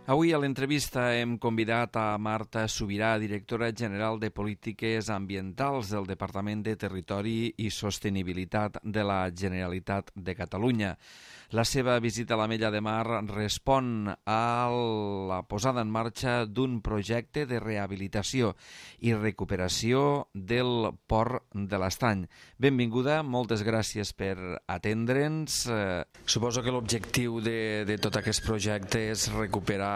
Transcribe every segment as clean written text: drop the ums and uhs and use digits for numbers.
Avui a l'entrevista hem convidat a Marta Subirà, directora general de Polítiques Ambientals del Departament de Territori i Sostenibilitat de la Generalitat de Catalunya. La seva visita a l'Ametlla de Mar respon a la posada en marxa d'un projecte de rehabilitació i recuperació del Port de l'Estany. Benvinguda, moltes gràcies per atendre'ns. Suposo que l'objectiu de tot aquest projecte és recuperar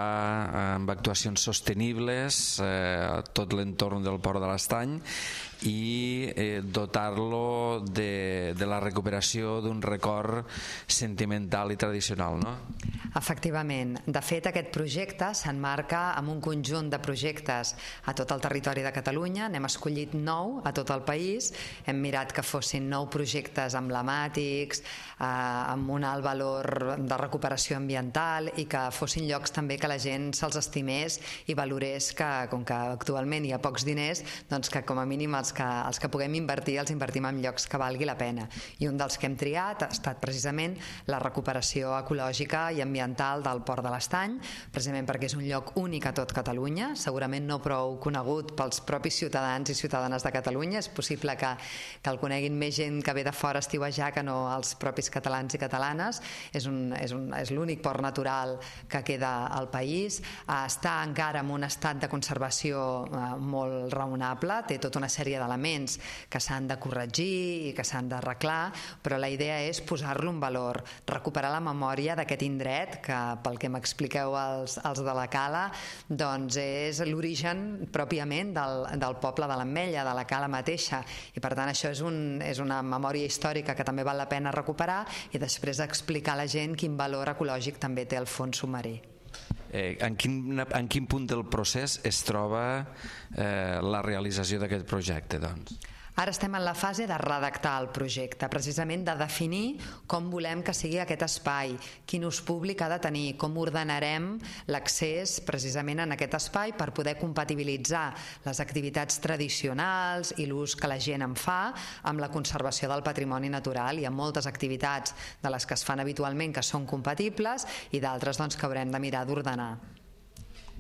amb actuacions sostenibles tot l'entorn del Port de l'Estany i dotar-lo de la recuperació d'un record sentimental i tradicional, no? Efectivament. De fet, aquest projecte s'emmarca en un conjunt de projectes a tot el territori de Catalunya. N'hem escollit 9 a tot el país. Hem mirat que fossin 9 projectes emblemàtics, amb un alt valor de recuperació ambiental i que fossin llocs també que la gent se'ls estimés i valorés que, com que actualment hi ha pocs diners, doncs que com a mínim els que puguem invertir els invertim en llocs que valgui la pena. I un dels que hem triat ha estat precisament la recuperació ecològica i ambiental del Port de l'Estany, precisament perquè és un lloc únic a tot Catalunya, segurament no prou conegut pels propis ciutadans i ciutadanes de Catalunya. És possible que el coneguin més gent que ve de fora a estiuejar que no els propis catalans i catalanes. És l'únic port natural que queda al país. Està encara en un estat de conservació molt raonable, té tota una sèrie d'elements que s'han de corregir i que s'han d'arreglar, però la idea és posar-lo en valor, recuperar la memòria d'aquest indret que, pel que m'expliqueu els de la Cala, doncs és l'origen pròpiament del poble de l'Ametlla, de la Cala mateixa, i per tant això és una memòria històrica que també val la pena recuperar i després explicar a la gent quin valor ecològic també té el fons submarí. En quin punt del procés es troba la realització d'aquest projecte, doncs? Ara estem en la fase de redactar el projecte, precisament de definir com volem que sigui aquest espai, quin ús públic ha de tenir, com ordenarem l'accés precisament en aquest espai per poder compatibilitzar les activitats tradicionals i l'ús que la gent en fa amb la conservació del patrimoni natural. Hi ha moltes activitats de les que es fan habitualment que són compatibles i d'altres doncs, que haurem de mirar d'ordenar.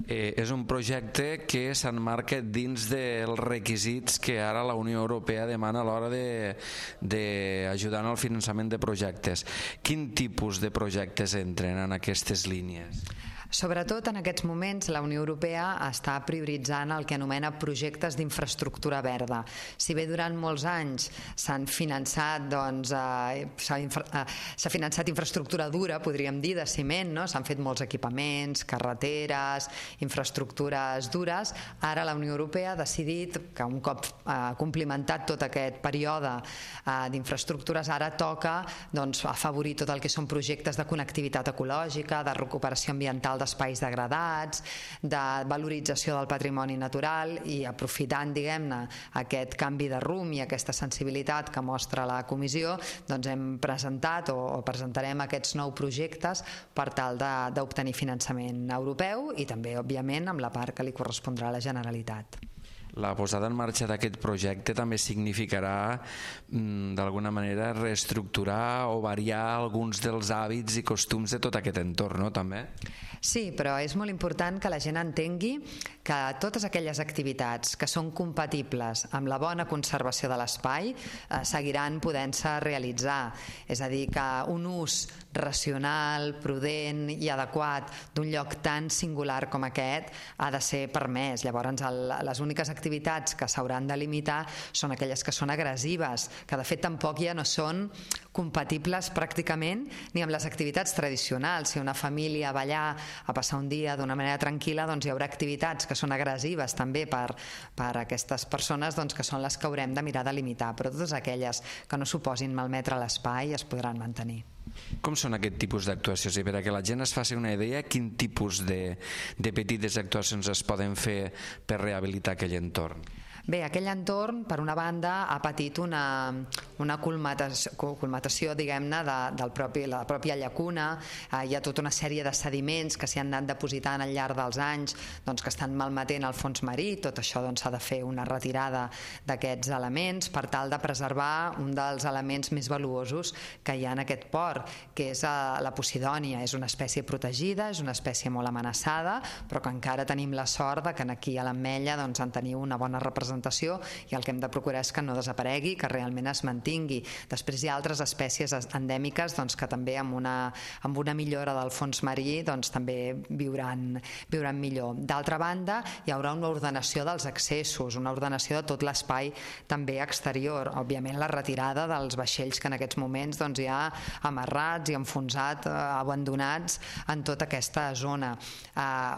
És un projecte que s'emmarca dins dels requisits que ara la Unió Europea demana a l'hora d'ajudar en el finançament de projectes. Quin tipus de projectes entren en aquestes línies? Sobretot en aquests moments la Unió Europea està prioritzant el que anomena projectes d'infraestructura verda. Si bé durant molts anys s'han finançat, s'ha finançat infraestructura dura, podríem dir, de ciment, no? S'han fet molts equipaments, carreteres, infraestructures dures. Ara la Unió Europea ha decidit que un cop complimentat tot aquest període d'infraestructures, ara toca afavorir tot el que són projectes de connectivitat ecològica, de recuperació ambiental d'espais degradats, de valorització del patrimoni natural, i aprofitant, diguem-ne, aquest canvi de rumb i aquesta sensibilitat que mostra la comissió, doncs hem presentat o presentarem aquests 9 projectes per tal d'obtenir finançament europeu i també, òbviament, amb la part que li correspondrà a la Generalitat. La posada en marxa d'aquest projecte també significarà, d'alguna manera, reestructurar o variar alguns dels hàbits i costums de tot aquest entorn, no? També? Sí, però és molt important que la gent entengui que totes aquelles activitats que són compatibles amb la bona conservació de l'espai seguiran podent-se realitzar. És a dir, que un ús racional, prudent i adequat d'un lloc tan singular com aquest ha de ser permès. Llavors, les úniques activitats que s'hauran de limitar són aquelles que són agressives, que de fet tampoc ja no són compatibles pràcticament ni amb les activitats tradicionals. Si una família va allà a passar un dia d'una manera tranquil·la, doncs hi haurà activitats que són agressives també per a aquestes persones, doncs que són les que haurem de mirar de limitar, però totes aquelles que no suposin malmetre l'espai es podran mantenir. Com són aquest tipus d'actuacions? I per a que la gent es faci una idea, quin tipus de petites actuacions es poden fer per rehabilitar aquell entorn? Bé, aquell entorn, per una banda, ha patit una colmatació, diguem-ne, de la pròpia llacuna. Hi ha tota una sèrie de sediments que s'hi han anat depositant al llarg dels anys, doncs, que estan malmetent el fons marí. Tot això s'ha de fer una retirada d'aquests elements per tal de preservar un dels elements més valuosos que hi ha en aquest port, que és la posidònia. És una espècie protegida, és una espècie molt amenaçada, però que encara tenim la sort de que aquí a l'Ametlla doncs, en teniu una bona representació, i el que hem de procurar és que no desaparegui, que realment es mantingui. Després hi ha altres espècies endèmiques doncs, que també amb una millora del fons marí doncs, també viuran millor. D'altra banda, hi haurà una ordenació dels accessos, una ordenació de tot l'espai també exterior. Òbviament la retirada dels vaixells que en aquests moments doncs, hi ha amarrats i enfonsats, abandonats en tota aquesta zona.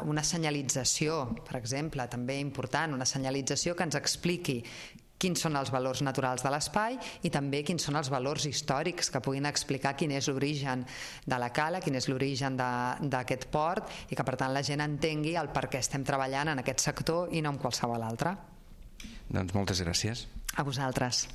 Una senyalització, per exemple, també important, una senyalització que ens expliqui quins són els valors naturals de l'espai i també quins són els valors històrics que puguin explicar quin és l'origen de la cala, quin és l'origen d'aquest port, i que per tant la gent entengui el per què estem treballant en aquest sector i no en qualsevol altre. Doncs moltes gràcies. A vosaltres.